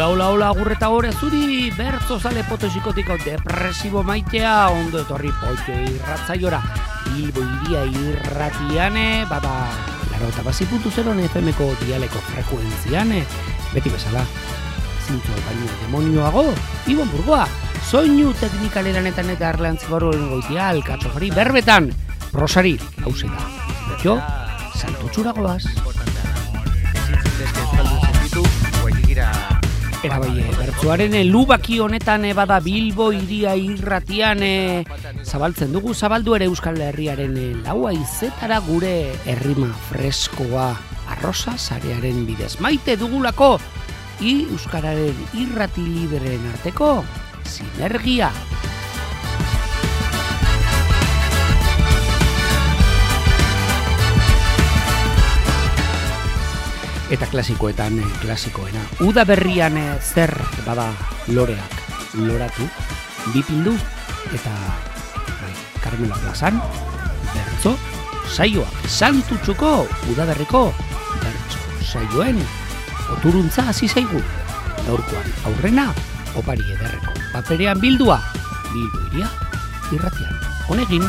Hola, agurreta gore zuri, bertzo zale potosikotik depresibo maitea, ondo etorri poito irratzaiora, Bilbo iria irratiane, bada, 88.0 FM-ko dialeko frekuentziane, beti bezala, zintzo baino demonioago, Ibon Burgoa, soinu teknikaleranetan eta erleantzibaro goitia, alkatxofari, berbetan, prosari, hause da, jo, santutxuragoaz. Era bai, bertsoaren lubaki honetan bada Bilbo iria irratian zabaltzen dugu, zabaldu ere Euskal Herriaren laua izetara gure errima freskoa arrosa sarearen bidez. Maite dugulako Euskararen irrati libreen arteko sinergia. Eta klasikoetan, klasikoena. Uda berrian zer bada loreak loratu, bipindu, eta Carmelo plazan, bertzo saioak. Santutxuko udaberriko bertzo saioen oturuntza hasi zaigu. Gaurkoan aurrena, opari ederreko paperean bildua, Bilbo iria irratian. Honegin.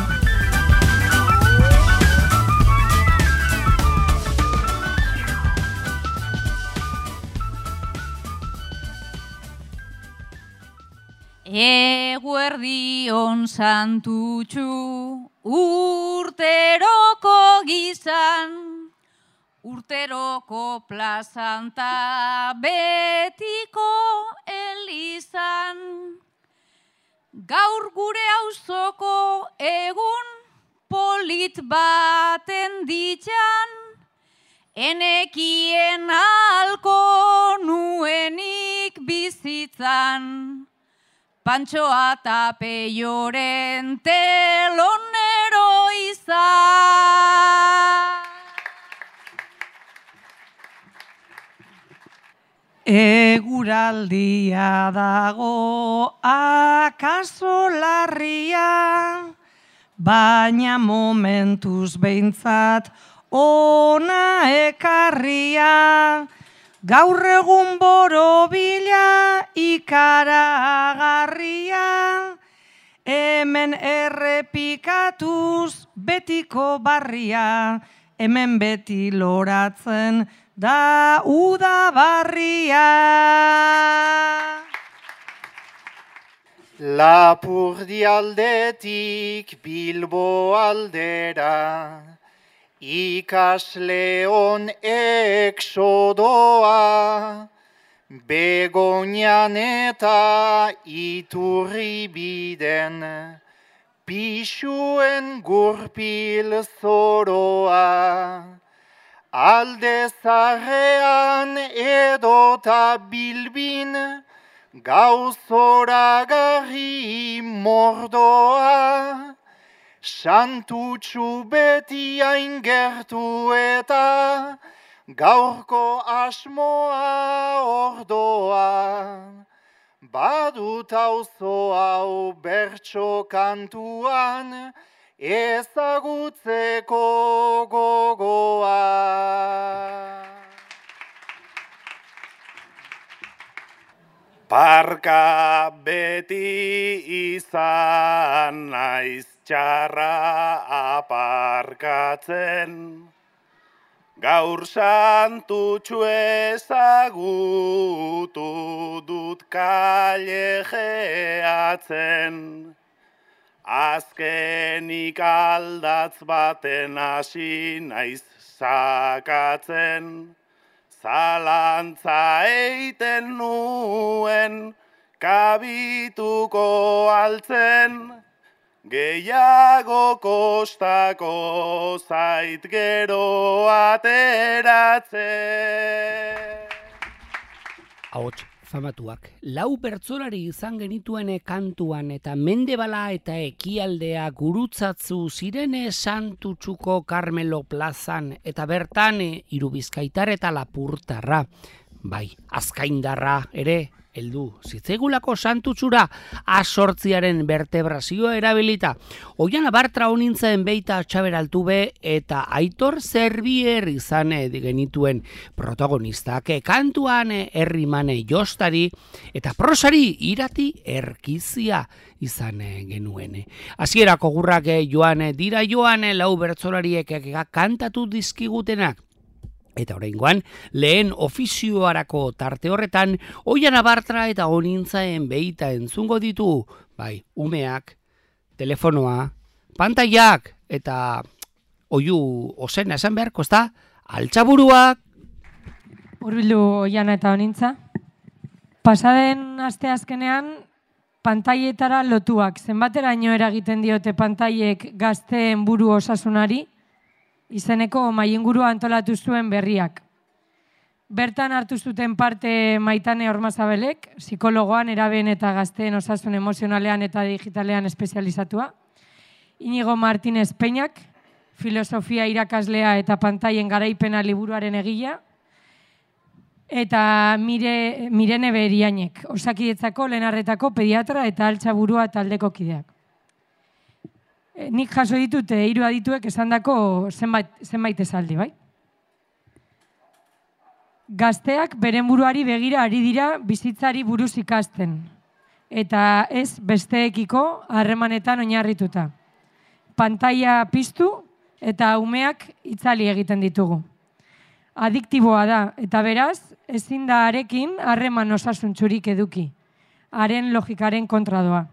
Eguerdion santutxu urteroko gizan, urteroko plazan ta betiko elizan. Gaur gure auzoko egun polit baten ditxan, enekien alko nuenik bizitzan. Pantxoa eta Peioren telonero izan. Eguraldia dago akaso larria, baina momentuz behintzat ona ekarria. Gaur egun borobila ikaragarria, hemen errepikatuz betiko barria, hemen beti loratzen da udabarria. Lapurdi aldetik Bilbo aldera, ikasleon exodoa, Begoñan eta Iturribiden, pixuen gurpil zoroa. Alde zarrean edota Bilbin, gauzoragarri mordoa. Santutxu beti hain gertu eta gaurko asmoa ordoa. Badut auzo hau bertso kantuan ezagutzeko gogoa. Parka beti izan naiz txarra aparkatzen, gaur santutxu ezagutu dut kalejeatzen. Azkenik aldatz baten hasi naiz sakatzen, zalantza eiten nuen kabituko altzen, gehiago kostako zait gero ateratzen. Ahots famatuak, lau bertsolari izan genituen kantuan eta Mendebala eta Ekialdea gurutzatzu zirene Santutxuko Carmelo plazan eta bertan Irubizkaitar eta Lapurtarra. Bai, Azkaindarra ere heldu zitzaigulako santutsura A8 vertebrazioa erabilita. Oiana Bartra honintzen beita Txaber Altube eta Aitor Zerbier izan genituen protagonistak. Kantuan herrimane jostari eta prosari Irati Erkizia izan genuen. Hasierako gurrak joan dira lau bertsolariek kantatu dizkigutenak. Eta oraingoan, lehen ofizioarako tarte horretan, Oiana Bartra eta honintzaen beita entzungo ditu, bai, umeak, telefonoa, pantaiak, eta oiu osena esan beharko, ez da, altzaburuak. Hurbildu Oiana eta honintza. Pasaden asteazkenean, pantaietara lotuak. Zenbateraino eragiten diote pantaiek gazteen buru osasunari, izeneko mailingurua antolatu zuen berriak. Bertan hartu zuten parte Maitane Ormazabelek, psikologoan, erabeen eta gazteen osasun emozionalean eta digitalean espezializatua. Inigo Martínez Peñak, filosofia irakaslea eta pantaien garaipena liburuaren egila. Eta Mirene Berianek, Osakidetzako lehenarretako pediatra eta altzaburua taldeko kideak. Nik jaso ditut 3 adituek esandako zenbait esaldi, bai? Gazteak beren buruari begira ari dira bizitzari buruz ikasten, eta ez besteekiko harremanetan oinarrituta. Pantaila piztu eta umeak itzali egiten ditugu. Adiktiboa da, eta beraz, ezin da harekin harreman osasuntsurik eduki, haren logikaren kontra doa.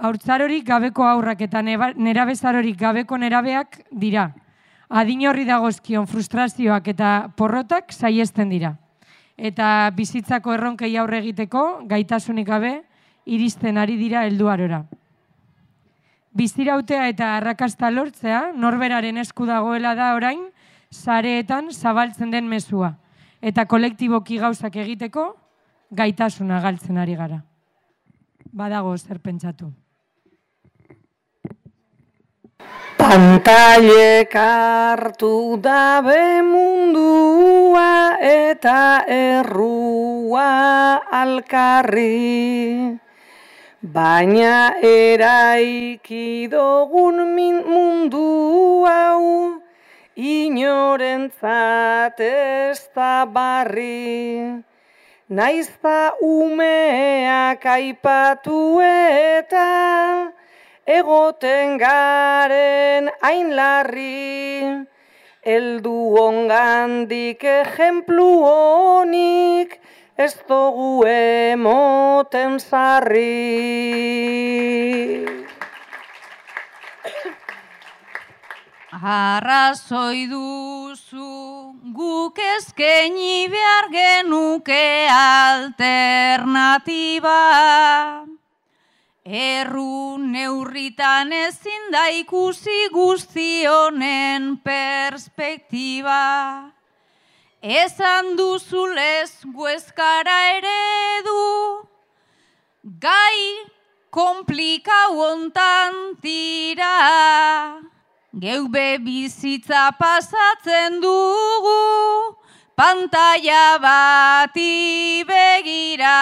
Haurtzarorik gabeko haurrak eta nerabezarorik gabeko nerabeak dira. Adin horri dagozkion frustrazioak eta porrotak saihesten dira. Eta bizitzako erronkei aurre egiteko gaitasunik gabe iristen ari dira helduarora. Bizirautea eta arrakasta lortzea norberaren esku dagoela da orain sareetan zabaltzen den mezua. Eta kolektiboki gauzak egiteko gaitasuna galtzen ari gara. Badago zer pentsatu. Pantailek hartu dabe mundua eta errua alkarri, baina eraiki dogun mundu hau inorentzat ez da barri. Naizta umeak aipatu eta egoten garen hain larri, heldu ongandik ejemplu honik ez dugu emoten sarri. Arrazoi duzu guk eskaini behar genuke alternatiba. Erru neurritan ezin da ikusi guzti honen perspektiba. Esan duzulez guezkara eredu, gai komplikau hontan tira. Geube bizitza pasatzen dugu, pantaila bati begira.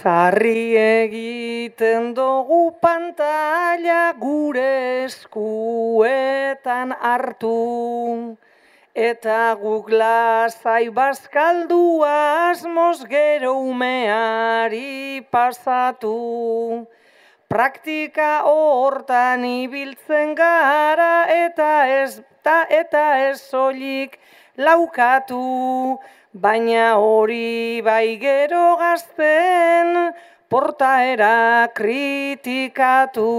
Sarri egiten dugu pantaila gure eskuetan hartu, eta guk lasai bazkaldu asmoz gero umeari pasatu. Praktika hortan ibiltzen gara eta ez soilik laukatu, baina hori bai gero gazten portaera kritikatu.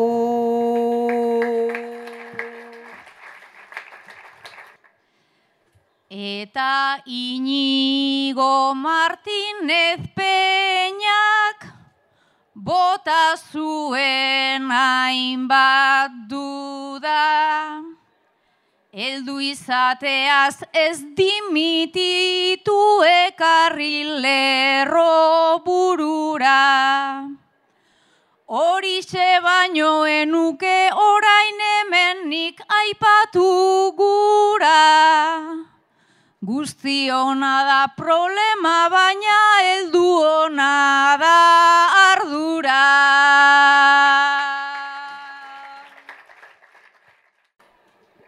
Eta Inigo Martínez Peñak bota zuen hainbat duda. Heldu izateaz ez dimititu ekarri lerro burura. Horixe baino enuke orain hemen nik aipatu gura. Guzti ona da problema, baina heldu ona da ardura.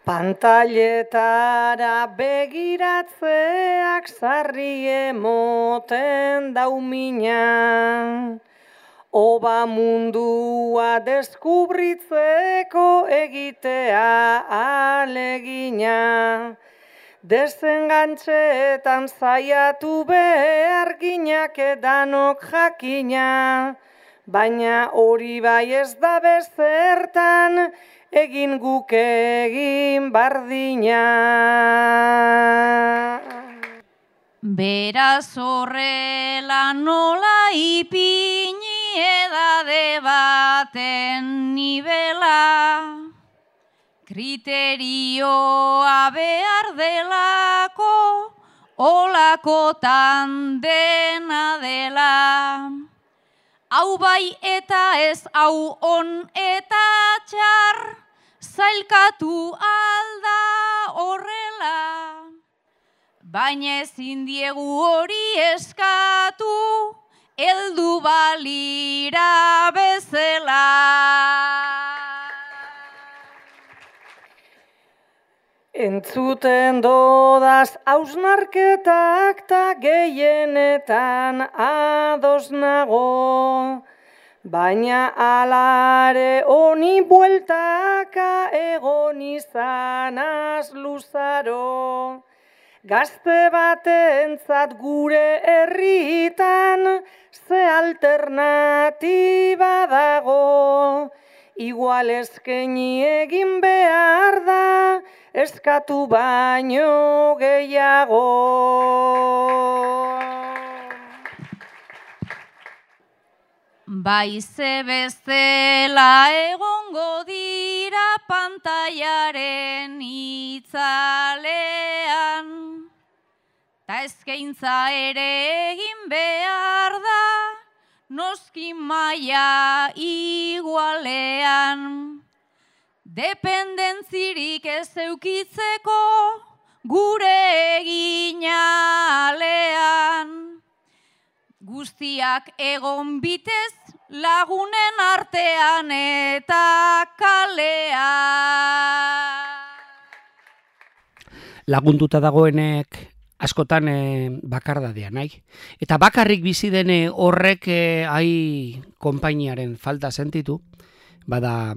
Pantailetara begiratzeak sarri emoten daumina. Oba mundua deskubritzeko egitea alegina. Desengantxeetan zaiatu behar ginak edanok jakina. Baina hori bai ez da bezertan, egin guk egin bardina. Beraz horrela nola ipini edade baten nibela, kriterioa behar delako, olakotan dena dela. Hau bai eta ez hau on eta txar, zailkatu alda horrela. Baina ezin diegu hori eskatu, heldu balira bezala. Entzuten dodaz hausnarketak ta gehienetan ados nago, baina alare honi bueltaka egon izanaz luzaro. Gazte batentzat gure herritan ze alternatiba dago, igual eskaini egin behar da, eskatu baino gehiago. Baize bezala egongo dira pantailaren itzalean, ta eskaintza ere egin behar da, noski maila igualean. Dependentzirik ez eukitzeko gure eginalean. Guztiak egon bitez lagunen artean eta kalean. Lagunduta dagoenek askotan bakardadea nahi. Eta bakarrik bizi dene horrek konpainiaren falta sentitu, bada,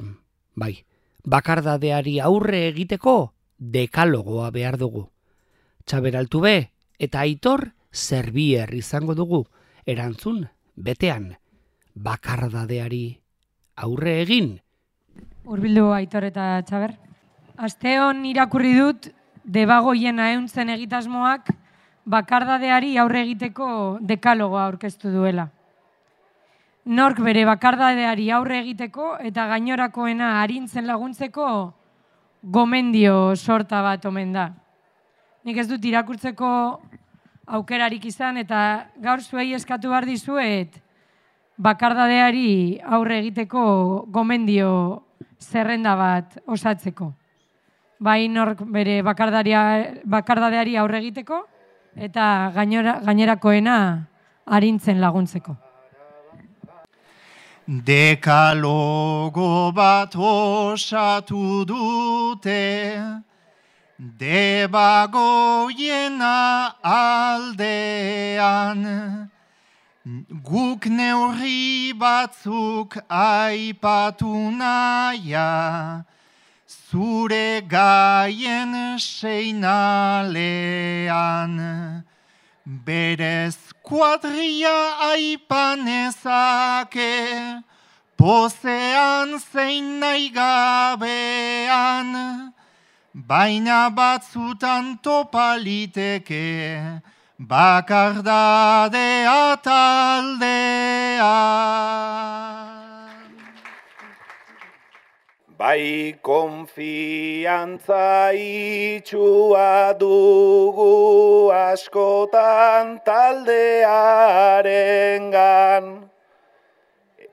bai, bakardadeari aurre egiteko dekalogoa behar dugu. Txaber Altube eta Aitor Zerbier izango dugu, erantzun betean bakardadeari aurre egin. Hurbildu Aitor eta Txaber. Asteon irakurri dut Debagoien aeuntzen egitasmoak bakardadeari aurre egiteko dekalogoa aurkeztu duela. Nork bere bakardadeari aurre egiteko eta gainorakoena arintzen laguntzeko gomendio sorta bat omen da. Nik ez dut irakurtzeko aukerarik izan eta gaur zuei eskatu behar dizuet bakardadeari aurre egiteko gomendio zerrenda bat osatzeko. Bai nork bere bakardadeari aurre egiteko eta gainerakoena arintzen laguntzeko. Dekalogo bat osatu dute, Debagoiena aldean, guk neurri batzuk aipatu naia, zure gaien seinalean. Berez kuadria aipanezake, pozean zein nahi gabean, baina batzutan topaliteke, bakardadea taldean. Bai konfiantza itxua dugu askotan taldearengan,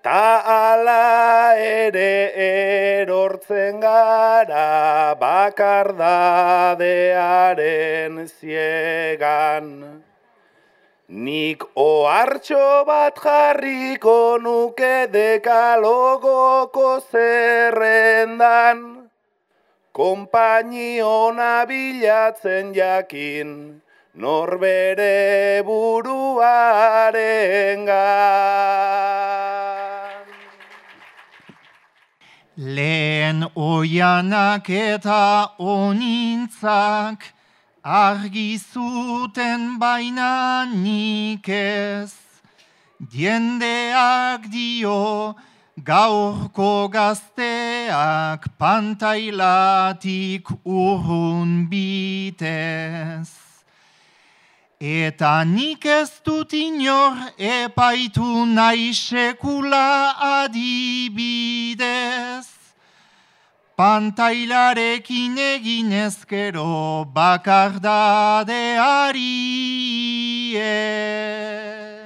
Ta ala ere erortzen gara bakardadearen ziegan. Nik ohartxo bat jarriko nuke dekalogoko zerrendan, konpainiona bilatzen jakin, norbere buruarengan. Lehen oianak eta onintzak argi zuten baina nik ez. Jendeak dio gaurko gazteak pantailatik urrun bitez. Eta nik ez dut inor epaitu nahi sekula adibidez. Pantailarekin egin ezkero bakardadeari ez.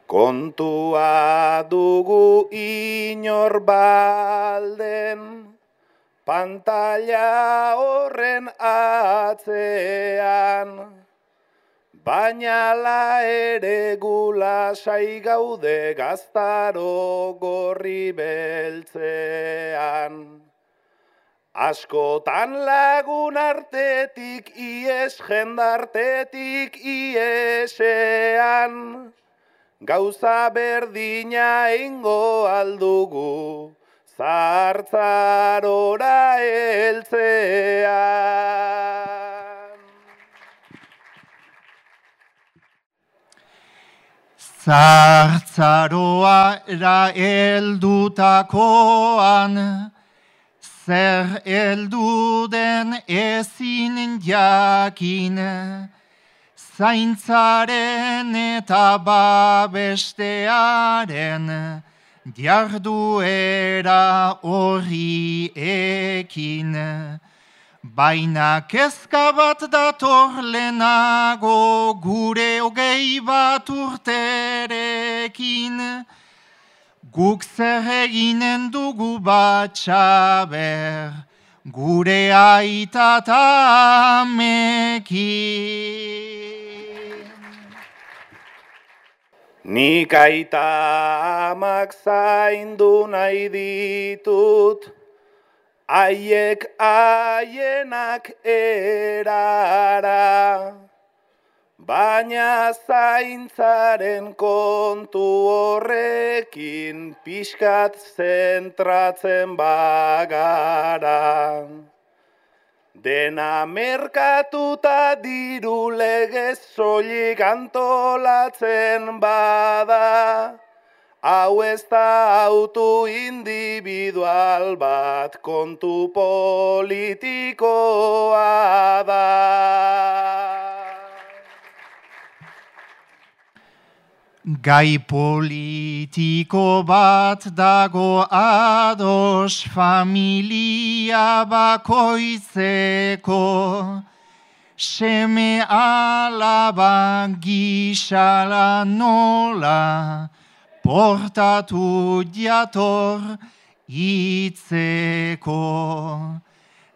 Kontua dugu inor balden, pantaila horren atzean, baina la ere gulasai gaude gaztaro gorri beltzean. Askotan lagun artetik ies, jendartetik iesean, gauza berdina ingo aldugu, zartzarora heltzean. Zartzaroara heldutakoan, zer heldu den ezin jakin, zaintzaren eta babestearen jarduera horri ekin. Baina kezka bat dator lehenago gure 20 bat urterekin. Guk zer eginen dugu batxaber gure aita eta amekin. Nik aita amak zaindu nahi ditut, haiek haienak erara, baina zaintzaren kontu horrekin pixkat zentratzen bagara. Dena merkatuta diru legez soilik antolatzen bada, hau ez da autu individual bat, kontu politikoa da. Gai politiko bat dago ados familia bakoitzeko, seme alaba gisala nola, portatu jator itzeko.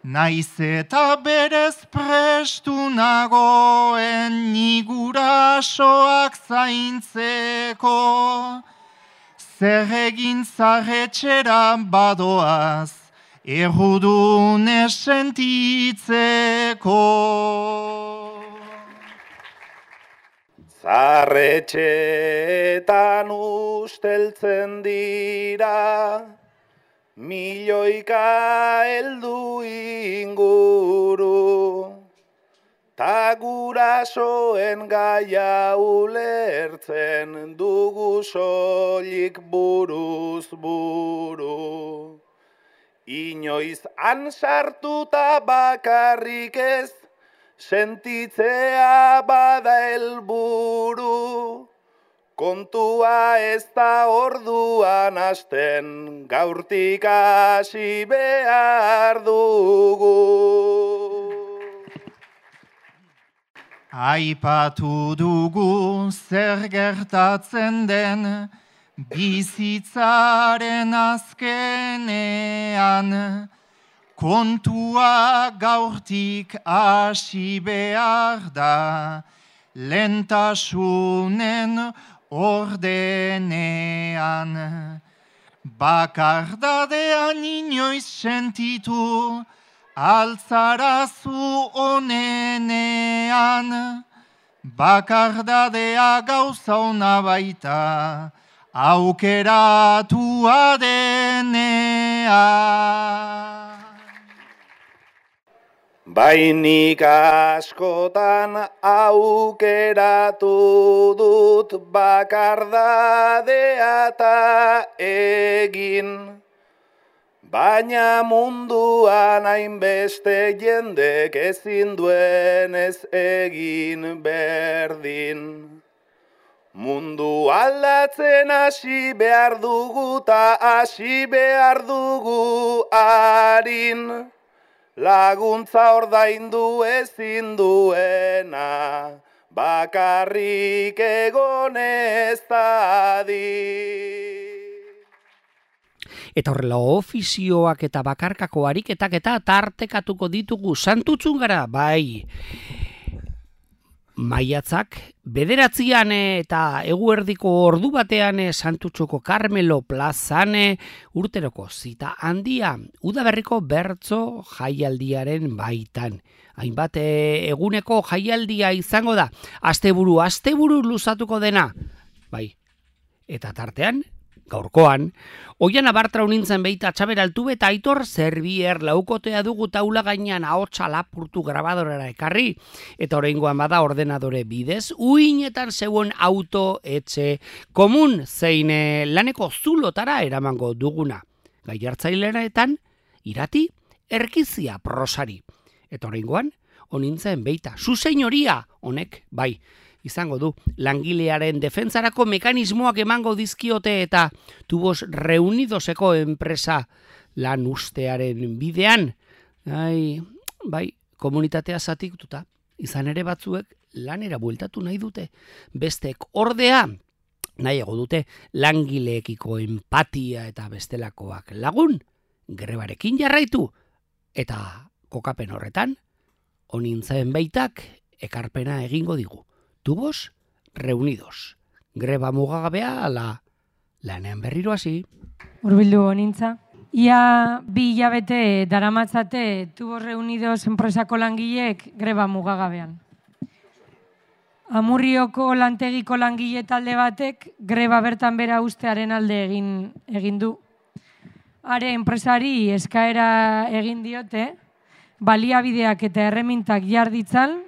Naiz eta berez prestu nagoen ni gurasoak zaintzeko, zer egin zarretxera badoaz, errudune sentitzeko. Zarretxeetan usteltzen dira, milioika heldu inguru, ta gurasoen gaia ulertzen dugu soilik buruz buru. Inoiz han sartuta bakarrik ez, sentitzea bada helburu, kontua ez da orduan hasten, gaurtik hasi behar dugu. Aipatu dugu zer gertatzen den, bizitzaren azkenean, kontua gaurtik hasi behar da, lentasunen ordenean. Bakardadean inoiz sentitu, altzarazu onenean. Bakardadea gauza ona baita, aukeratua denean. Bainik askotan aukeratu dut bakardadea eta egin. Baina munduan hainbeste jendek ezin duen ez egin berdin. Mundu aldatzen hasi behar dugu ta hasi behar dugu harin. Laguntza ordaindu ezin duena, bakarrik egon ez dadin. Eta horrela ofizioak eta bakarkako ariketak eta tartekatuko ditugu santutxun gara, bai. Maiatzak, 9 eta eguerdiko ordu batean Santutxoko Karmelo plazan urteroko zita handia, udaberriko bertso jaialdiaren baitan. Hainbat eguneko jaialdia izango da, asteburu luzatuko dena. Bai, eta tartean, gaurkoan, Oiana Bartrau nintzen beita Txaber Altube eta Aitor Zerbier laukotea dugu taula gainean ahotsa lapurtu grabadorera ekarri, eta oraingoan bada ordenadore bidez, uinetan zeuen auto etxe komun zein laneko zulotara eramango duguna. Gaiartzaileretan, irati, erkizia prosari. Eta oraingoan, onintzen beita, zuzeinoria honek, bai, izango du, langilearen defentsarako mekanismoak emango dizkiote eta Tubos Reunidoseko enpresa lan ustearen bidean. Bai, komunitatea zatituta, izan ere batzuek lanera bueltatu nahi dute. Bestek ordea, nahiago dute langileekiko empatia eta bestelakoak lagun, grebarekin jarraitu. Eta kokapen horretan, onintzaen baitak ekarpena egingo digu. Tubos Reunidos. Greba mugagabea ala lanean berriro hasi. Hurbildu honintza. Ia 2 hilabete daramatzate Tubos Reunidos enpresako langileek greba mugagabean. Amurrioko lantegiko langile talde batek greba bertan bera ustearen alde egin du. Are enpresari eskaera egin diote, baliabideak eta erremintak jarditzan,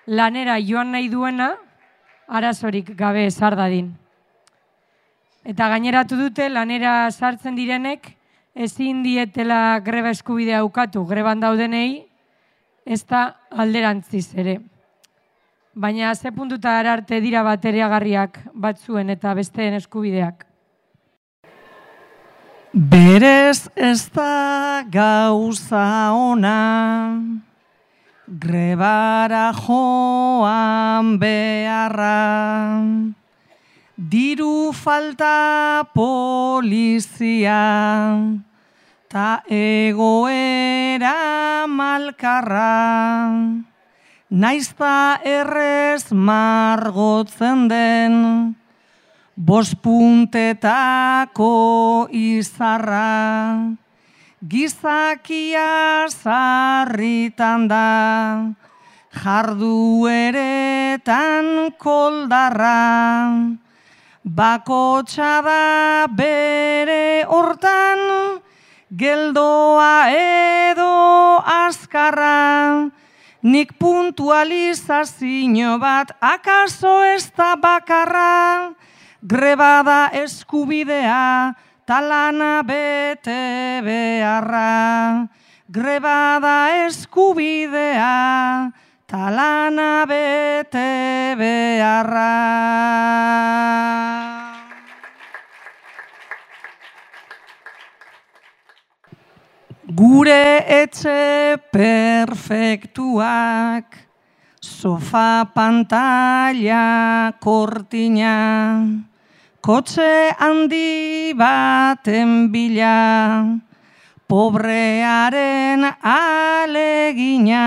lanera joan nahi duena, arazorik gabe sar dadin. Eta gaineratu dute, lanera sartzen direnek, ezin dietela greba eskubidea ukatu greban daudenei, ez da alderantziz ere. Baina ze puntuta arte dira bateriagarriak batzuen eta besteen eskubideak. Berez ez da gauza ona, grebara joan beharra, diru falta polizia, ta egoera malkarra, naizta errez margotzen den, 5 puntetako izarra, gizakia sarritan da, jardueretan koldarra, bakotxa da bere hortan, geldoa edo azkarra, nik puntualizazio bat akaso ez da bakarra, greba da eskubidea, talana bete beharra. Greba da eskubidea, talana bete beharra. Gure etxe perfektuak, sofa, pantalla, kortina, kotxe handi baten bila, pobrearen alegina,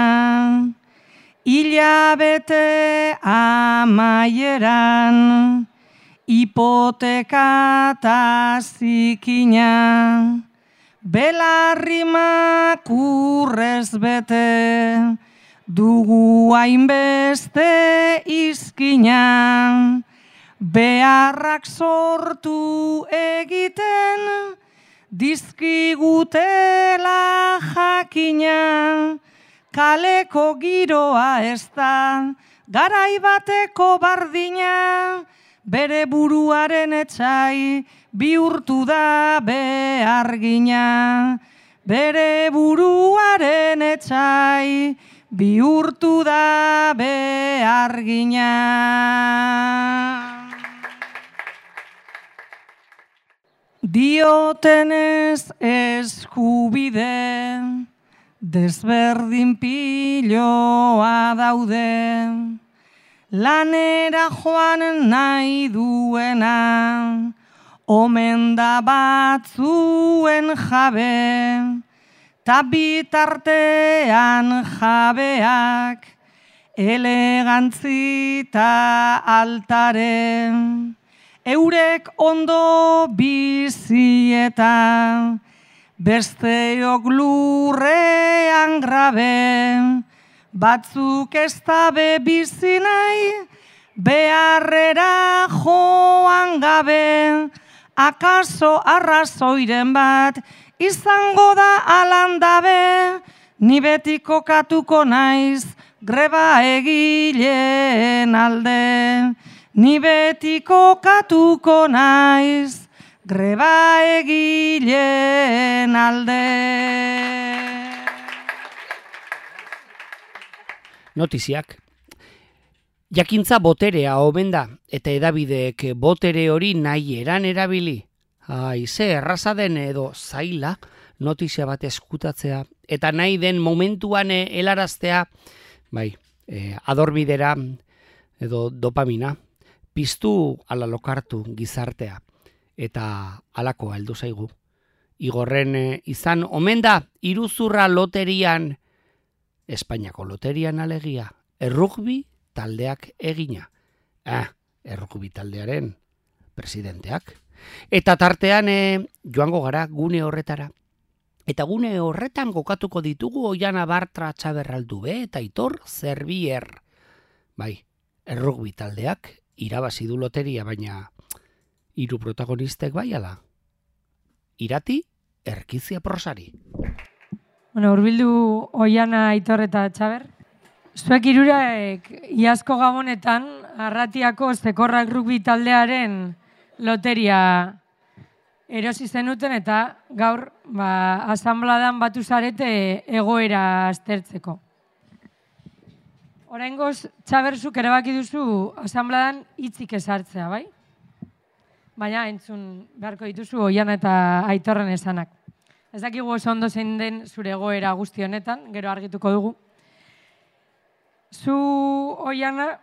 hilabete amaieran, hipoteka ta zikina, belarrimak urrez bete, dugu hainbeste izkina, beharrak sortu egiten, dizkigutela jakina, kaleko giroa ez da, garai bateko bardina, bere buruaren etsai bihurtu da behargina. Bere buruaren etsai bihurtu da behargina. Diotenez eskubide, desberdin piloa daude, lanera joan nahi duena, omen da batzuen jabe, ta bitartean jabeak, elegantzi ta altare, eurek ondo bizi eta besteok lurrean grabe, batzuk ez dabe bizi nahi, beharrera joan gabe, akaso arrazoiren bat izango da alandabe, ni beti kokatuko naiz greba egileen alde, ni beti kokatuko naiz greba egileen alde. Notiziak. Jakintza boterea omen da, eta edabideek botere hori nahi eran erabili. Ze erraza den edo zaila notizia bat eskutatzea, eta nahi den momentuan helaraztea, adormidera edo dopamina, piztu ala lokartu gizartea, eta alakoa heldu zaigu. Igorren izan omen da iruzurra loterian, Espainiako loterian alegia, errugbi taldeak egina. Errugbi taldearen presidenteak. Eta tartean joango gara gune horretara. Eta gune horretan kokatuko ditugu Oiana Bartra Txaberraldube eta Aitor Zerbier. Errugbi taldeak irabazi du loteria, baina hiru protagonistek bai ala. Irati, Erkizia Prosari. Hurbildu Oiana, Aitor eta Txaber. Zuek hirurek iazko gabonetan Arratiako Zekorrak rugbi taldearen loteria erosi zenuten eta gaur asanbladan batu zarete egoera aztertzeko. Oraingoz, Txaber, zuk erabaki duzu asanbladan hitzik ezartzea, bai? Baina entzun beharko dituzu Oiana eta Aitorren esanak. Ez dakigu oso ondo zein den zure egoera guzti honetan, gero argituko dugu. Zu, Oiana,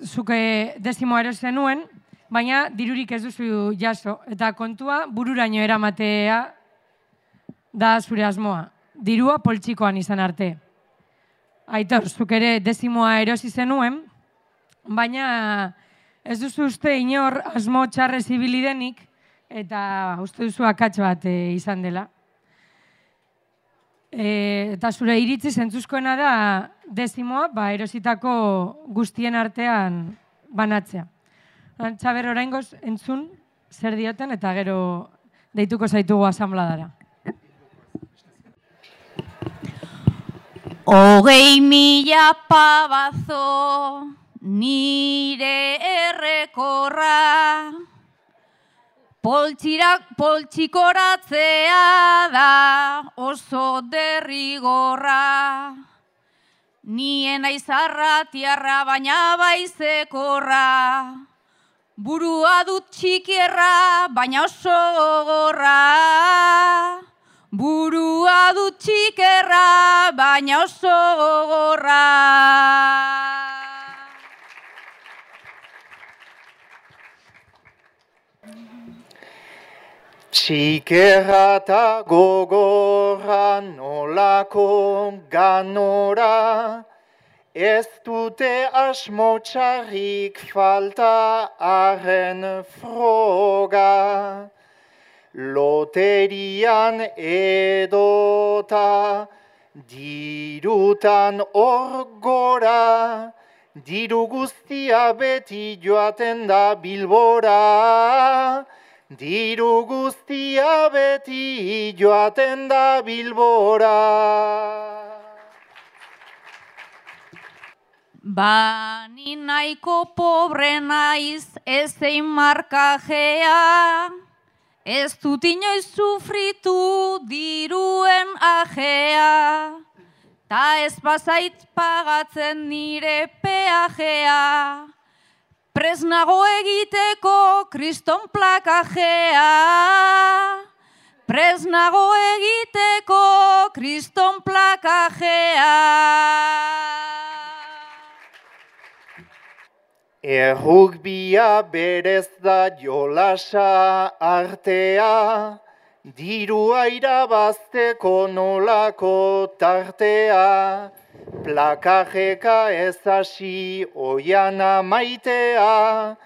zuke dezimoa erosi zenuen, baina dirurik ez duzu jaso. Eta kontua bururaino eramatea da zure asmoa. Dirua poltsikoan izan arte. Aitor, zuk ere dezimoa erosi zenuen, baina ez duzu uste inor asmo txarrez ibili denik, eta uste duzu akats bat izan dela. Eta zure iritzi zentzuzkoena da dezimoa erositako guztien artean banatzea. Txaber, oraingoz entzun zer dioten eta gero deituko zaitugu asanbladara. 20.000 pavazo nire errekorra, poltsikoratzea da oso derrigorra. Nien naiz arratiarra baina baizekorra, burua dut txikierra baina oso gogorra. Burua dut txikerra baina oso gogorra. Txikerra eta gogorra nolako ganora, ez dute asmo txarrik falta arren froga. Loterian edota, dirutan hor gora, diru guztia beti joaten da Bilbora. Diru guztia beti joaten da Bilbora. Bani nahiko pobre naiz ezein markajea, ez dut inoiz sufritu diruen ajea, ta ez bazait pagatzen nire peajea, presnago egiteko kriston plakajea, presnago egiteko kriston plakajea. Errugbia berez da jolasa artea, dirua irabazteko nolako tartea, plakajeka ez hasi oiana maitea,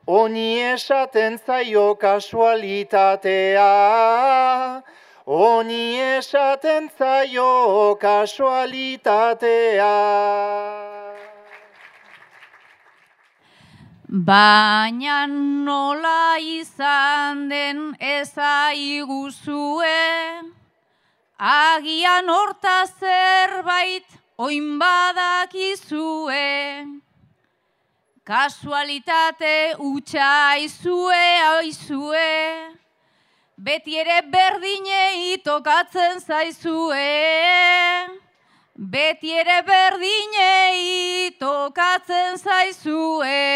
oni esaten zaio kasualitatea, oni esaten zaio kasualitatea. Baina nola izan den ezaiguzue, agian horta zerbait oin badakizue. Kasualitate hutsa aizue, beti ere berdinei tokatzen zaizue. Beti ere berdinei tokatzen zaizue.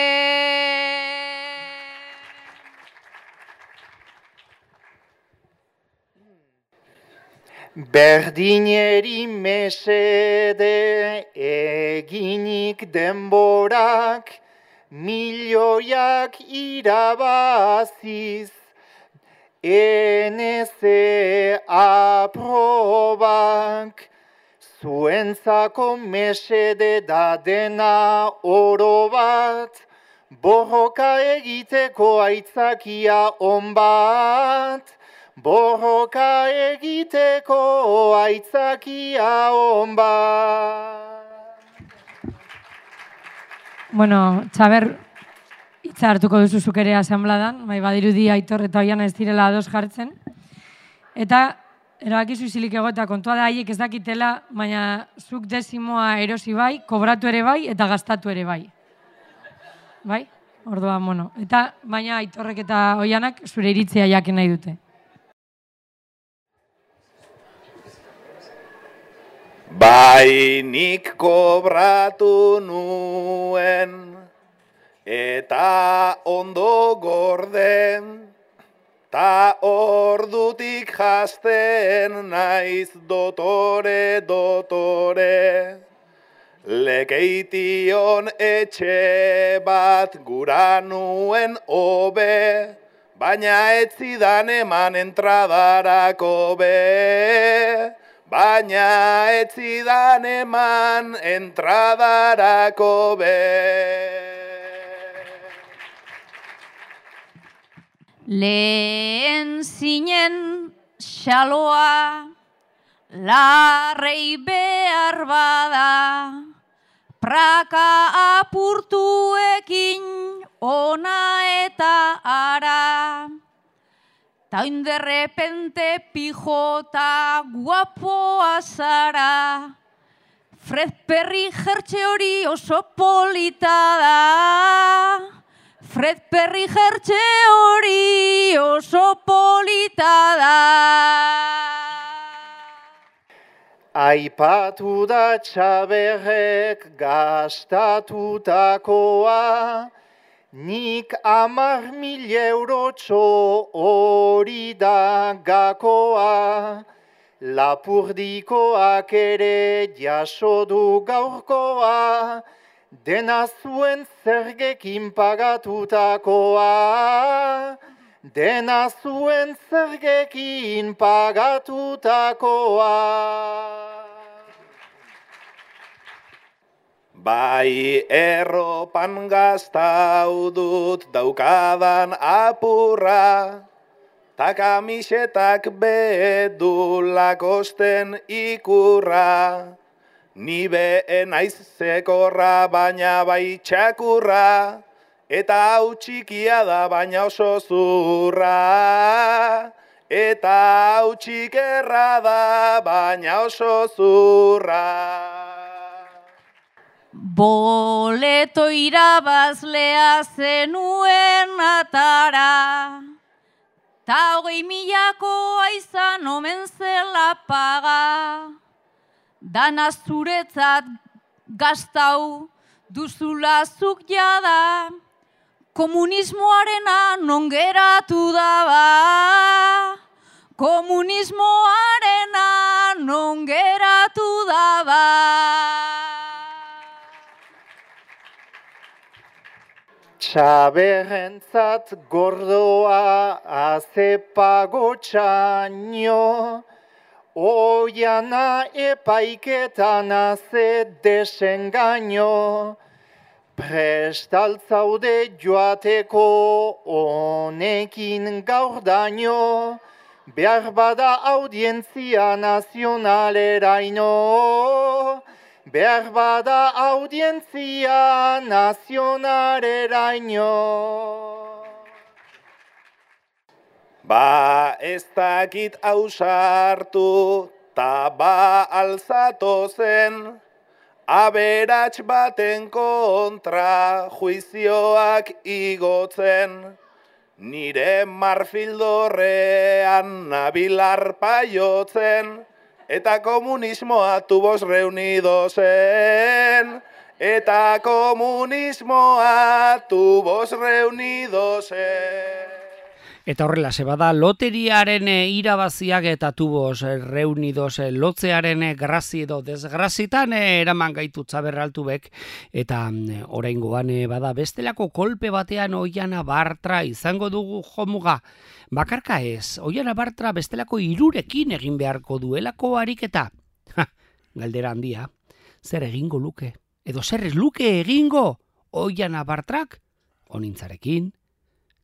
Berdineri mesede eginik denborak, milioiak irabaziz, NC aprobak. Zuentzako mesede da dena oro bat, borroka egiteko aitzakia on bat, borroka egiteko aitzakia on bat. Bueno, Txaber, hitza hartuko duzu zuk ere asanbladan, bai badirudi Aitor eta Oiana ez direla ados jartzen. Eta erabakizu izilik egotea kontua da haiek ez dakitela, baina zuk desimoa erosi bai, kobratu ere bai eta gastatu ere bai. Bai? Orduan, bueno. Eta baina Aitorrek eta Oianak zure iritzia jakin nahi dute. Bai nik kobratu nuen eta ondo gorden, ta ordutik jasten naiz dotore, lekeition etxe bat gura nuen hobe, baina ez zidan eman entradarako be, baina ez zidan eman entradarako be. Lehen zinen xaloa, larrei behar bada, praka apurtuekin ona eta ara. Ta oin derrepente pijota guapoa zara, Fred Perry jertxe hori oso polita da. Fred Perry jertxe hori oso polita da. Aipatu da Txaberrek gastatutakoa, nik 10.000 eurotxo hori da gakoa. Lapurdikoak ere jaso du gaurkoa, dena zuen zergekin pagatutakoa, dena zuen zergekin pagatutakoa. Bai erropan gaztau dut daukadan apurra, ta kamisetak bedulak osten ikurra. Ni be naiz zekorra baina bai txakurra, eta hau txikia da baina oso zurra. Eta hau txikerra da baina oso zurra. Boleto irabazlea zenuen atara, ta 20.000koa izan omen zela paga. Dana zuretzat gaztau duzula zuk jada, komunismoarena non geratu daba. Komunismoarena non geratu daba. Txaberrentzat gordoa azepago txaino, oiana epaiketan aze desengaino. Prestaltzaude joateko honekin gaur daño, behar bada audientzia nazionaleraino. Behar bada audientzia nazionaleraino. Ba ez dakit ausartu, ta ba alzatu zen, aberats baten kontra juizioak igotzen. Nire marfildorrean nabilar paiotzen, eta komunismoa tubos reunidosen. Eta komunismoa tubos reunidosen. Eta horrela, bada loteriaren irabaziak eta tubos reunidos lotzearen grazi edo desgrazitan eraman gaitu Txaberraltubek, eta oraingoan bada bestelako kolpe batean Oiana Bartra izango dugu jomuga. Bakarka ez, Oiana Bartra bestelako 3rekin egin beharko duelako ariketa. Galdera handia, zer egingo luke? Edo zer ez luke egingo Oiana Bartrak? Onintzarekin,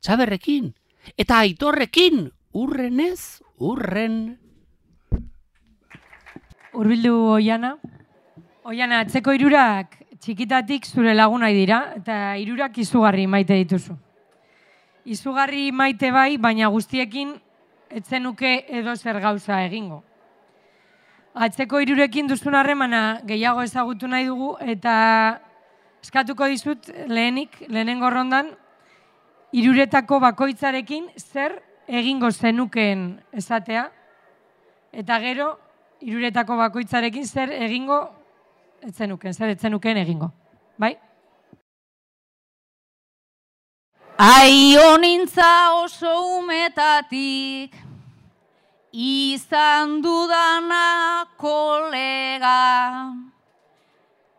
Txaberrekin, eta Aitorrekin, urrenez, urren. Hurbildu Oiana. Oiana, atzeko 3ak txikitatik zure lagunai dira, eta 3ak izugarri maite dituzu. Izugarri maite bai, baina guztiekin etzenuke edo zer gauza egingo. Atzeko 3rekin duzun harremana gehiago ezagutu nahi dugu, eta eskatuko dizut lehenengo rondan, 3retako bakoitzarekin zer egingo zenukeen esatea, eta gero 3retako bakoitzarekin zer egingo etzenukeen egingo. Bai? Aionintza oso umetatik, izan dudana kolega.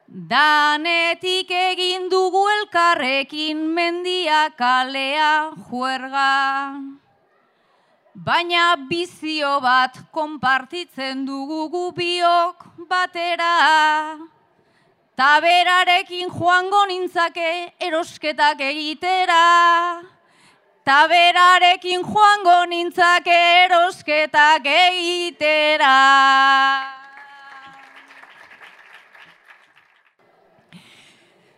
Danetik egin dugu elkarrekin mendia kalea juerga. Baina bizio bat konpartitzen dugu gu biok batera. Taberarekin joango nintzake erosketak egitera. Taberarekin joango nintzake erosketak egitera.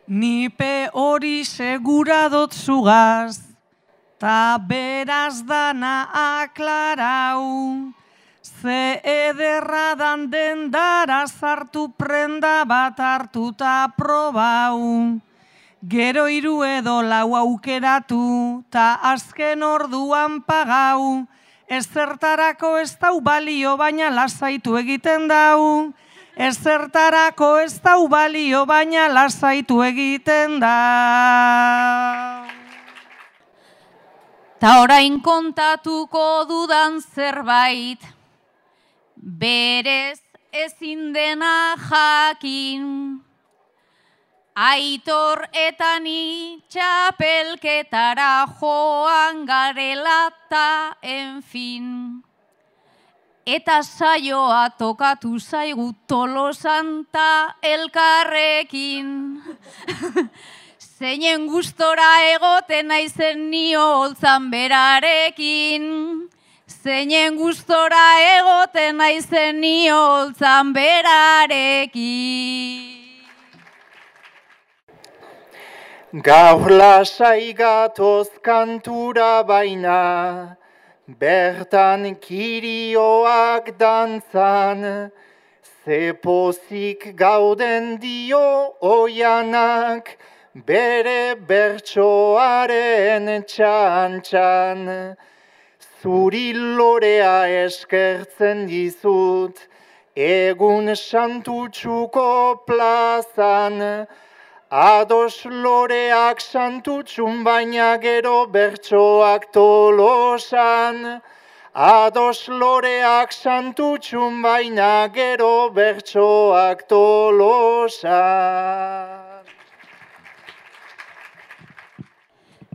Nipe hori segura dot zugaz, ta beraz dana aklarau. Ze ederra dan dendara sartu prenda bat hartuta probau. Gero 3 edo 4 aukeratu, ta azken orduan pagau. Ezertarako ez dau balio, baina lasaitu egiten dau. Ezertarako ez dau balio, baina lasaitu egiten da. Ta orain kontatuko dudan zerbait, berez ezin dena jakin. Aitor eta ni txapelketara joan garela ta, en fin. Eta saioa tokatu zaigu Tolosan ta elkarrekin. Zeinen gustora egoten naizen nio holtzan berarekin. Zeinen gustora egoten naizen nio holtzan berarekin. Gaur lasai gatoz kantura baina, bertan kirioak dantzan, ze pozik gauden dio oianak, bere bertsoaren txantxan. Zuri lorea eskertzen dizut, egun santutxuko plazan, ados loreak santutxun baina gero bertsoak Tolosan. Ados loreak santutxun baina gero bertsoak Tolosan.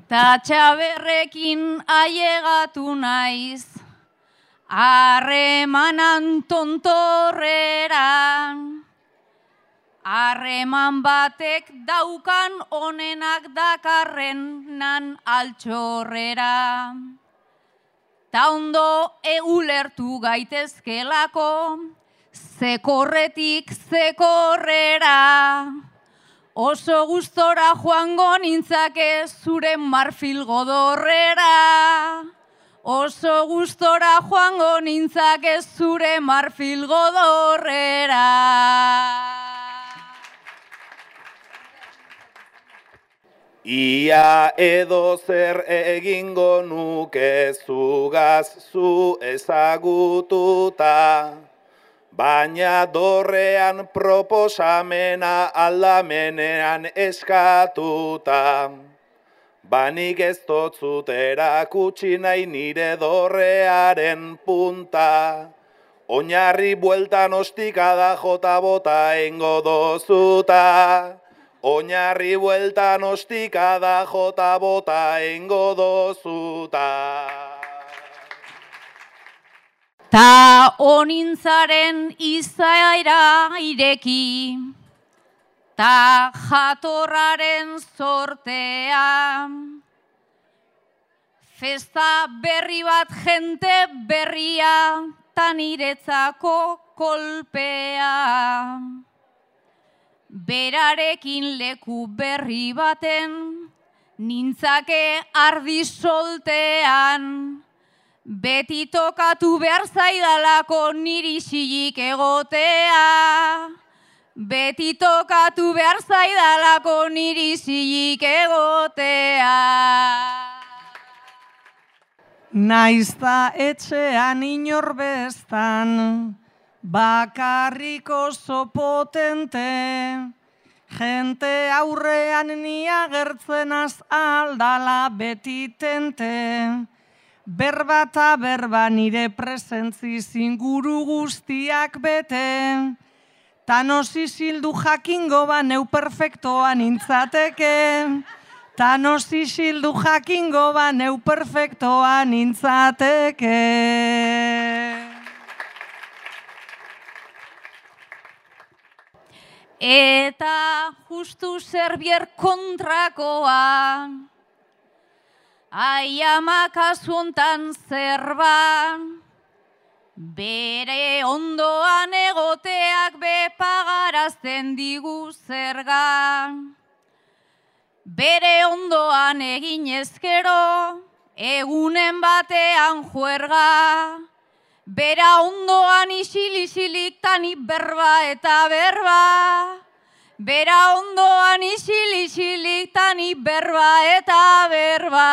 Ta txaberrekin ailegatu naiz, harremanan tontorreran. Harreman batek daukan onenak dakarrenan altxorrera. Ta ondo ulertu gaitezkelako, zekorretik zekorrera. Oso gustora joango nintzake zure marfil godorrera. Oso gustora joango nintzake zure marfil godorrera. Ia edo zer egingo nuke zugaz zu ezagututa, baina dorrean proposamena aldamenean eskatuta. Banik ez dotzut erakutsi nahi nire dorrearen punta, oinarri bueltan ostikada jota bota engo dozuta. Oinarri bueltan ostikada jota bota engo dozuta. Ta onintzaren izaera ireki, ta jatorraren sortea. Festa berri bat jente berria, ta niretzako kolpea. Berarekin leku berri baten, nintzake ardi soltean. Beti tokatu behar zaidalako niri isilik egotea. Beti tokatu behar zaidalako niri isilik egotea. Naizta etxean inor bestan, bakarrik oso potente, jente aurrean ni agertzenaz aldala beti tente. Berba eta berba nire presentziz inguru guztiak bete, tan osisildu jakingo ba neu perfektoa nintzateke, tan osisildu jakingo ba neu perfektoa nintzateke. Eta justu Serbier kontrakoa, aiama kasu hontan zerban, bere ondoan egoteak bepagarazten digu zergan. Bere ondoan egin ezkero, egunen batean juerga. Bera ondoan isil-isilik tani berba eta berba. Bera ondoan isil-isilik tani berba eta berba.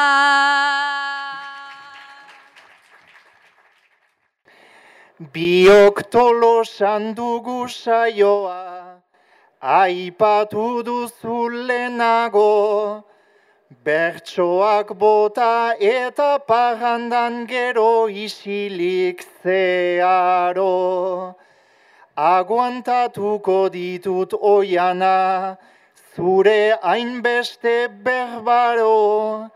Biok Tolosan dugu saioa, aipatu duzu lehenago, bertsoak bota eta parrandan gero isilik zeharo. Aguantatuko ditut oiana, zure hainbeste berbaro,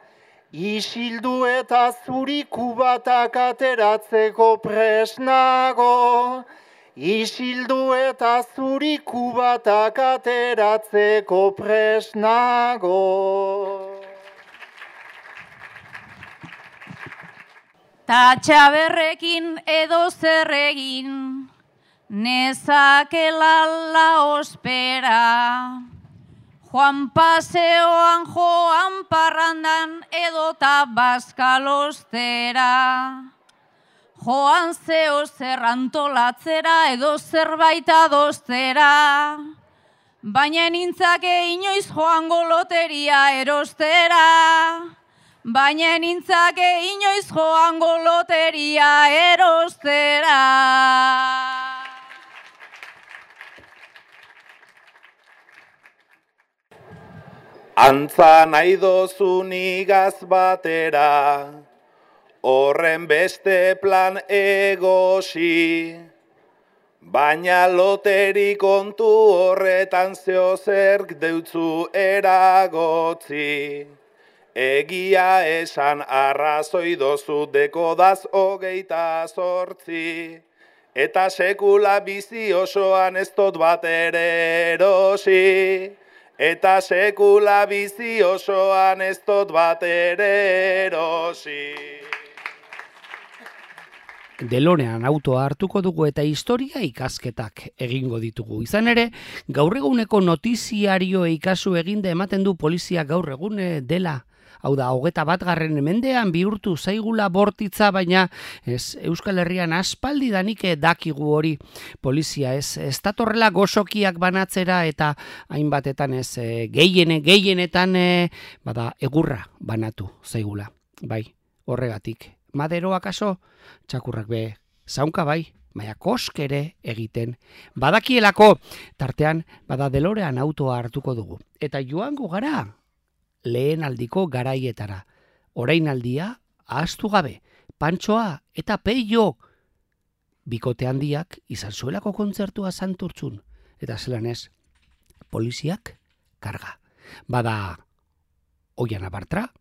isildu eta zuriku batak ateratzeko presnago, isildu eta zuriku batak ateratzeko presnago. Ta Txaberrekin edo zer egin, nezakela la ospera. Joan paseoan, joan parrandan, edota bazkalostera. Joan zeo zer antolatzera, edo zerbait adostera. Baina nintzake inoiz joango loteria erostera. Baina nintzake inoiz joango loteria erostera. Antza nahi dozun igaz batera, horren beste plan egosi, baina loteri kontu horretan zeozerk deutzu eragotzi. Egia esan arrazoi dozu dekodaz 28, eta sekula bizi osoan ez dut bat ere erosi. Eta sekula bizi osoan ez dut bat ere erosi. DeLorean autoa hartuko dugu eta historia ikasketak egingo ditugu. Izan ere, gaur eguneko notiziarioei kasu eginde ematen du polizia gaur egun dela. Hau da, 21. mendean bihurtu zaigula bortitza, baina Euskal Herrian aspaldidanik dakigu hori. Polizia ez datorrela gozokiak banatzera eta hainbatetan gehienetan egurra banatu zaigula. Bai, horregatik. Maderoa kaso, txakurrak be, zaunka bai, baina koskere egiten. Badakielako, tartean, DeLorean autoa hartuko dugu. Eta joango gara, lehen aldiko garaietara. Orainaldia ahaztu gabe, Pantxoa eta Peio bikote handiak izan zuelako kontzertua Santurtzun. Eta zelan ez, poliziak karga. Bada Oiana Bartra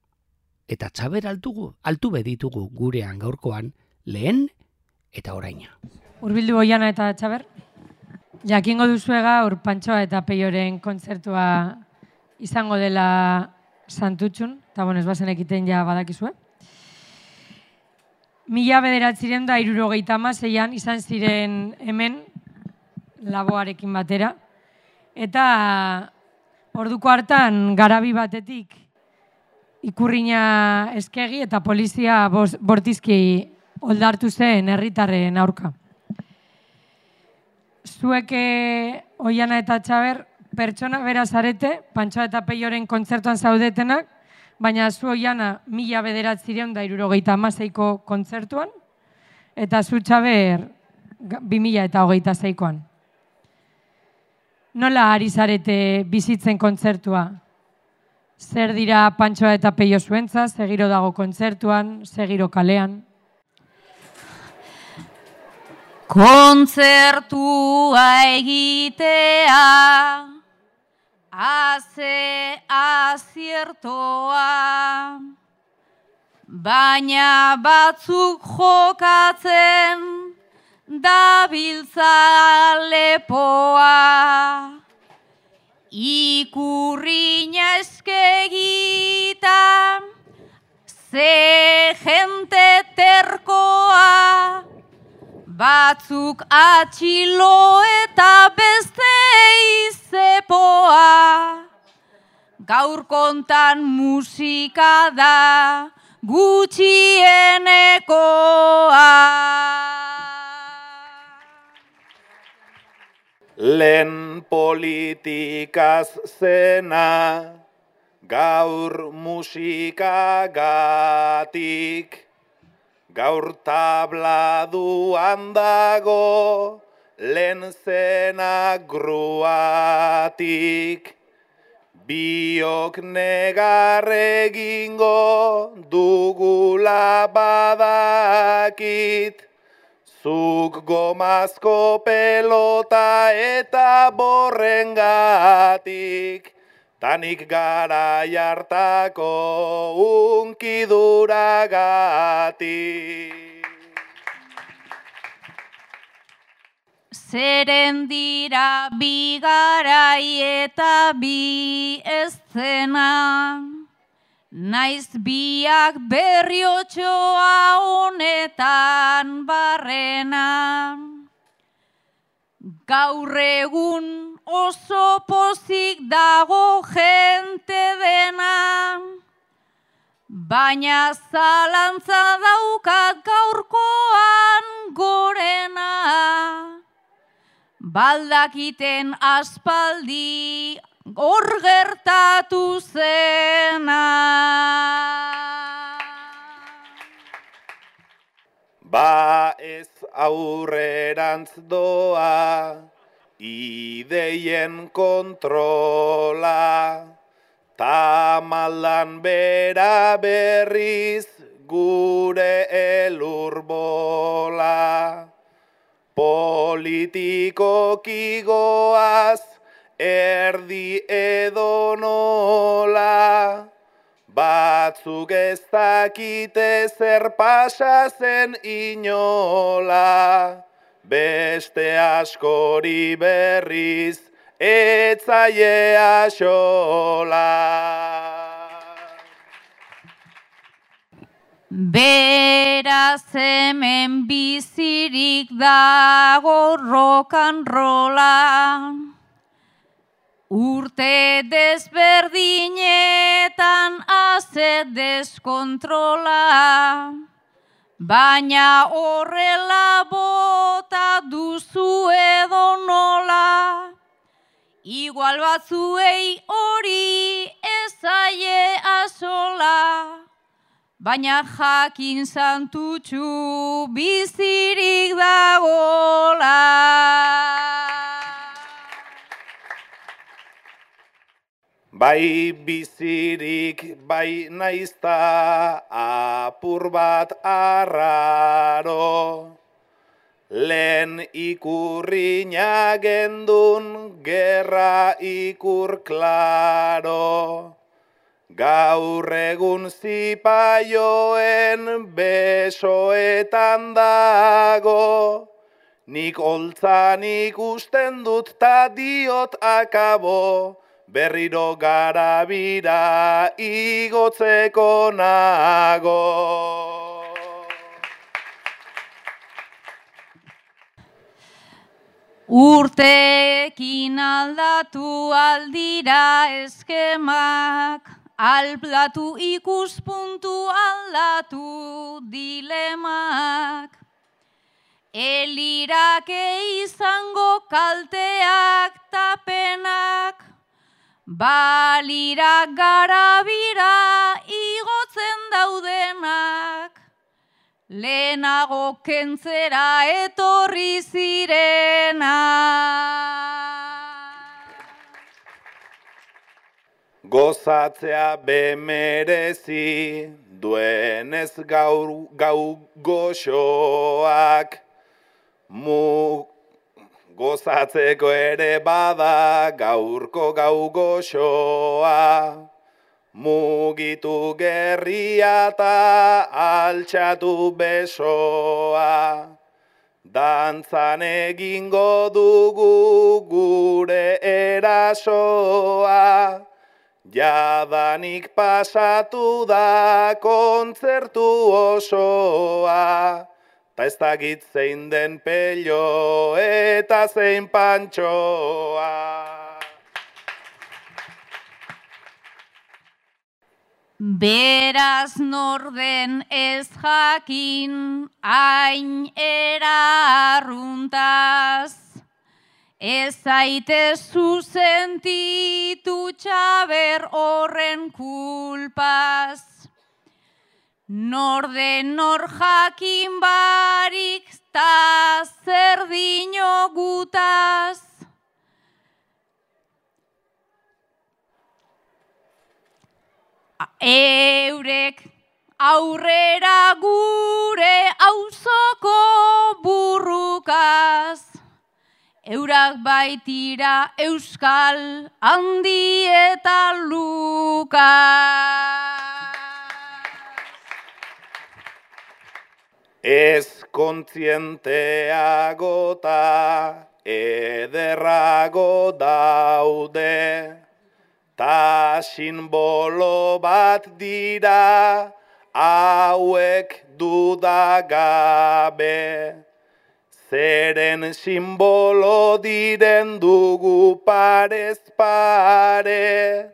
eta Txaber altu beditugu gurean gaurkoan lehen eta oraina. Hurbildu Oiana eta Txaber. Jakingo duzue gaur Pantxoa eta Peioren kontzertua izango dela Santutxun, eta ez bazen ekiten ja badakizue. 1976an izan ziren hemen laboarekin batera, eta orduko hartan garabi batetik ikurrina eskegi eta polizia bortizki oldartu zen herritarren aurka. Zuek Oiana eta Txaber pertsona bera zarete, Pantxoa eta Peioren kontzertuan zaudetenak, baina zu Oiana 1976ko kontzertuan, eta zu Txaber 2026koan. Nola ari zarete bizitzen kontzertua? Zer dira Pantxoa eta Peio zuentza, zegiro dago kontzertuan, zegiro kalean? Kontzertua egitea, haze aziertoa, baina batzuk jokatzen dabiltza lepoa. Ikurrina eskegita, ze jente terkoa, batzuk atxilo eta beste izepoa. Gaur kontan musika da gutxienekoa. Lehen politikaz zena, gaur musikagatik. Gaur tabladuan dago, lehen zena gruatik. Biok negar egingo dugula badakit. Zuk gomazko pelota eta borrengatik. tanik garai hartako unkiduragatik. Zeren dira bi garai eta bi eszena, naiz biak berriotxoa honetan barrena. Gaur egun oso pozik dago jente dena, baina zalantza daukat gaurkoan gorena. Baldakiten aspaldi hor gertatu zena. Ba ez aurrerantz doa, ideien kontrola, tamaldan bera berriz gure elurbola. Politikoki goaz erdi edo nola, batzuk ez dakite zer pasa zen inola, beste askori berriz etzaie axola. Beraz hemen bizirik dago rock'n'rolla, urte desberdinetan haze deskontrola, baina horrela bota duzu edo nola, igual batzuei hori ez zaie axola. Baina jakin santutxu bizirik dagola. Bai bizirik bai naizta apur bat arraro, lehen ikurriña gendun gerra ikur klaro. Gaur egun zipaioen besoetan dago, nik holtzan ikusten dut ta diot akabo, berriro garabira igotzeko nago. Urteekin aldatu aldira eskemak, aldatu ikuspuntu aldatu dilemak. Elirake izango kalteak tapenak, balira garabira igotzen daudenak. Lehenago kentzera etorri zirenak. Gozatzea bemerezi duenez gau goxoak, gozatzeko ere bada gaurko gau goxoa, mugitu gerria eta altxatu besoa, dantzan egingo dugu gure erasoa, jadanik pasatu da kontzertu osoa, ta ez dakit zein den pello eta zein pantxoa. Beraz norden ez jakin hain erarruntaz, ez zaitezu sentitu txaber horren kulpaz. Norden nor jakin barik ta zer dino gutaz. Eurek aurrera gure auzoko burrukaz, Eurak baitira euskal handi eta Lukas. Ez kontzienteago ta ederrago daude, ta sinbolo bat dira hauek dudagabe. Zeren sinbolo diren dugu parez pare,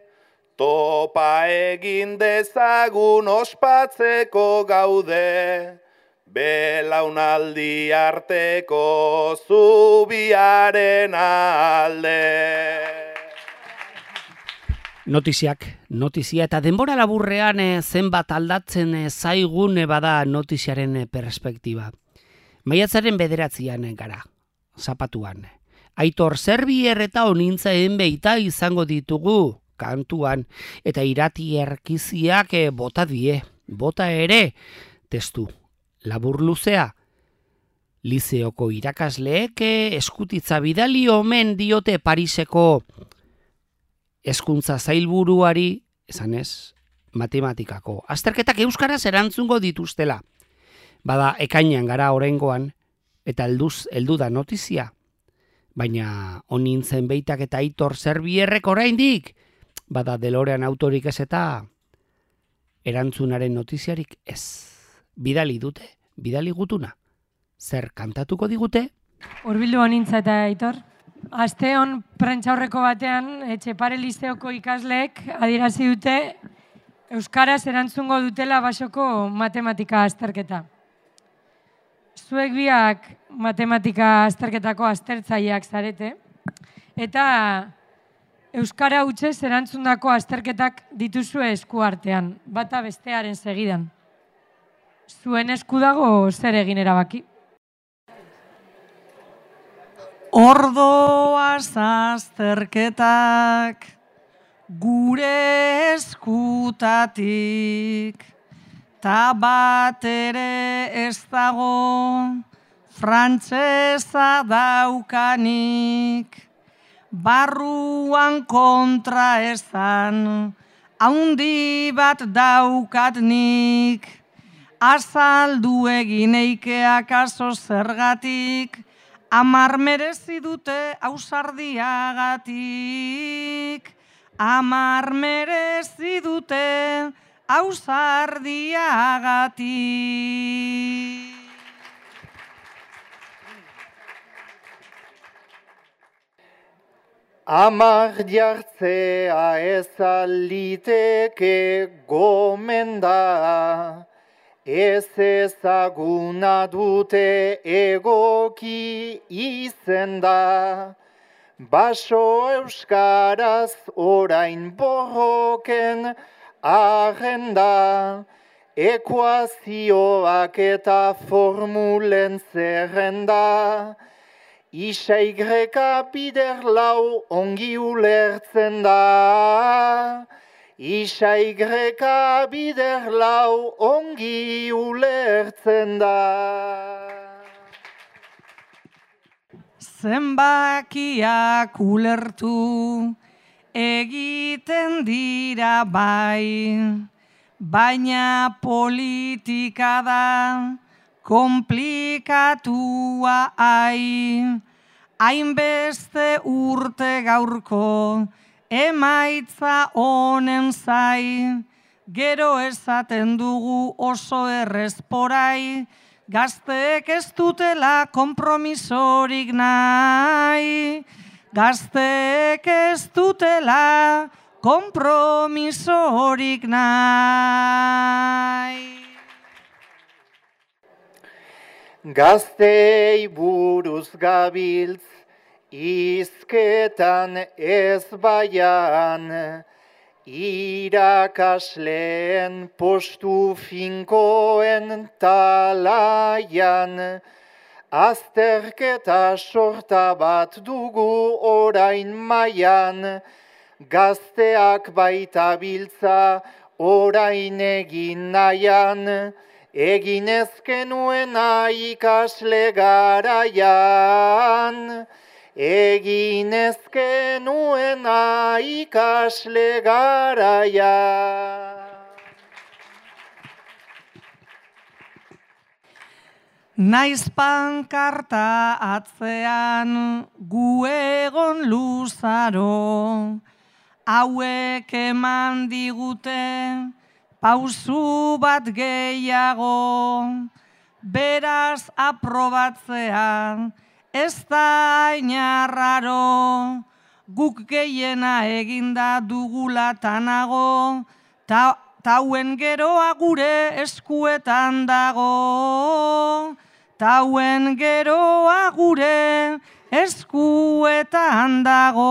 topa egin dezagun ospatzeko gaude, belaunaldi arteko zubiaren alde. Notizia eta denbora laburrean zenbat aldatzen zaigun bada notiziaren perspektiba. Maiatzaren 9 gara, zapatuan. Aitor Zerbier eta Onintzaen Beita izango ditugu kantuan, eta irati erkiziak bota die, bota ere, testu labur luzea. Lizeoko irakasleek eskutitza bidali omen diote Pariseko hezkuntza zailburuari, esanez, matematikako azterketak euskaraz erantzungo dituztela. Bada ekainean gara oraingoan, eta heldu da notizia. Baina Onintzen Beitak eta Aitor Zerbierrek oraindik, bada DeLorean autorik ez eta erantzunaren notiziarik ez. Bidali dute, bidali gutuna. Zer kantatuko digute? Hurbildu Onintza eta Aitor. Asteon prentsaurreko batean, Etxepare Lizeoko ikasleek adierazi dute euskaraz erantzungo dutela basoko matematika azterketa. Zuek biak matematika azterketako aztertzaileak zarete, eta euskara hutsez erantzundako azterketak dituzue esku artean, bata bestearen segidan. Zuen esku dago zer egin erabaki? Ordoaz azterketak gure eskutatik, ta bat ere ez dago frantsesa daukanik, barruan kontra esan haundi bat daukatnik, azaldu egin eikeak aso zergatik, 10 merezi dute ausardiagatik, 10 merezi dute ausardiagatik. Amar jartzea ez aliteke gomenda, ez ezaguna dute egoki izenda, baso euskaraz orain borroken agenda, ekuazioak eta formulen zerrenda, isa igreka bider lau ongi ulertzen da, isa igreka bider lau ongi ulertzen da. Zenbakiak ulertu egiten dira bai, baina politika da komplikatua hainbeste urte gaurko emaitza honen zai, gero esaten dugu oso errezporai, gazteek ez dutela konpromisorik nahi, gazteek ez dutela konpromisorik nahi. Gaztei buruz gabiltz, izketan ez baian, irakasleen postu finkoen talaian, azterketa sorta bat dugu orain maian, gazteak baita biltza orain egin nahian, egin ezkenuena ikasle garaian, egin ezkenuena ikasle garaia. Naiz pankarta atzean gu egon luzaro, hauek eman digute pausu bat gehiago, beraz aprobatzean ez da ainarraro, guk gehiena eginda dugula tanago, tauen geroa gure eskuetan dago, tauen geroa gure eskuetan dago.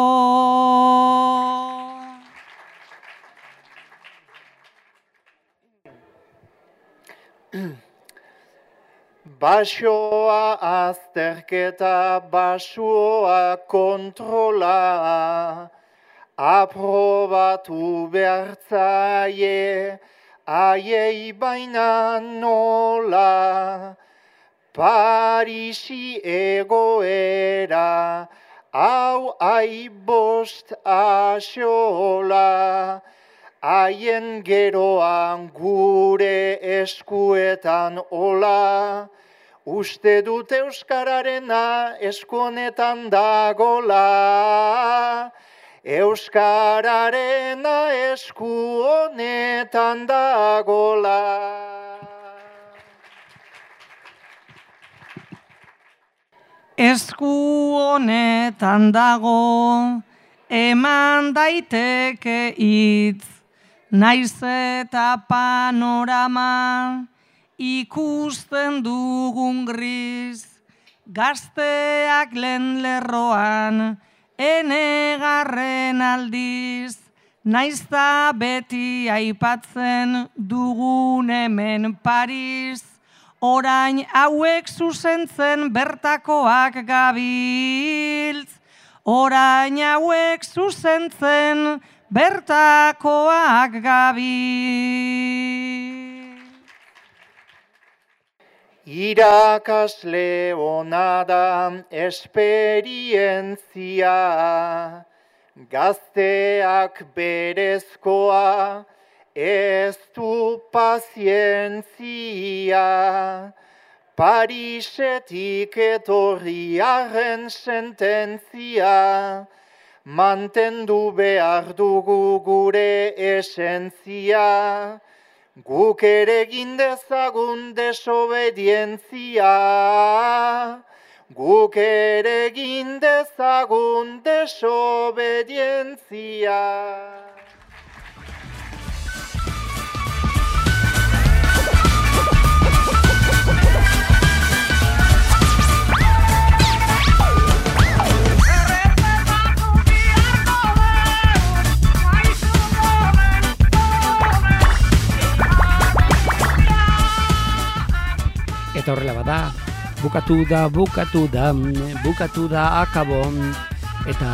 Basoa azterketa, basoa kontrola, aprobatu behartzaie, aiei baina nola, Parisi egoera, hau aibost axola, haien geroan gure eskuetan ola, uste dut euskararena esku honetan dagola, euskararena esku honetan dagola. Esku honetan dago, eman daiteke hitz, naiz eta panorama ikusten dugun gris, gazteak lehen lerroan, enegarren aldiz, naiz da beti aipatzen dugun hemen Paris, orain hauek zuzentzen bertakoak gabiltz, orain hauek zuzentzen bertakoak gabiltz. Irakasle ona da esperientzia, gazteak berezkoa, ez du pazientzia, Parisetik etorriaren sententzia, mantendu behar dugu gure esentzia, guk ere egin dezagun desobedientzia, guk ere egin dezagun desobedientzia. Eta horrela bada, bukatu da akabon, eta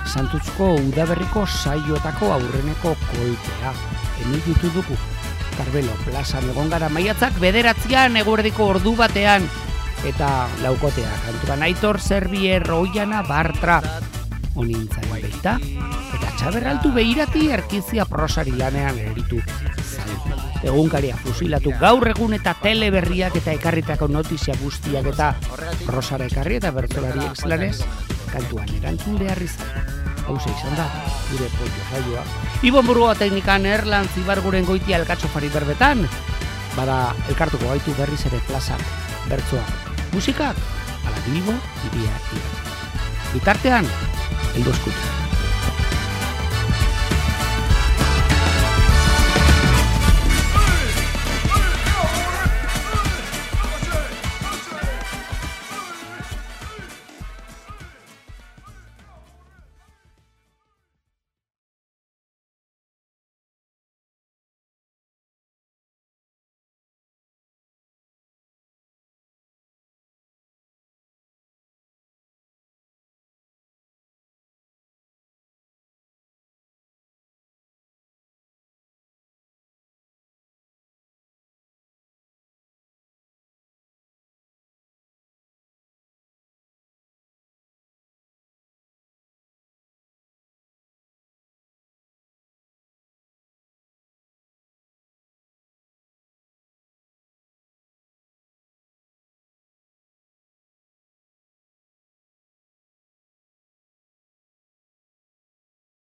Santuzko udaberriko saioetako aurreneko kolpea. Emititu dugu, Karbelo plazan egon gara maiatzak 9 eguerdiko ordu batean, eta laukotea kantuan Aitor Zerbier, Oiana Bartra, onintzaren beita, eta Txaberraltu Beirati erkizia prosari lanean eritu zaitu. Egunkaria fusilatu gaur egun eta teleberriak eta ekarritako notizia guztiak eta prosara ekarri eta bertsolari exlanez kantuan erantzun behar izan. Hauze izan da, gure pollo saioa. Ibon Burgoa teknikan Erlan Zibarguren goitia elkatxofari berbetan, bada elkartuko gaitu berriz ere plaza bertsoa. Musikak, ala Bilbo, iria. Bitartean, eldo eskutu.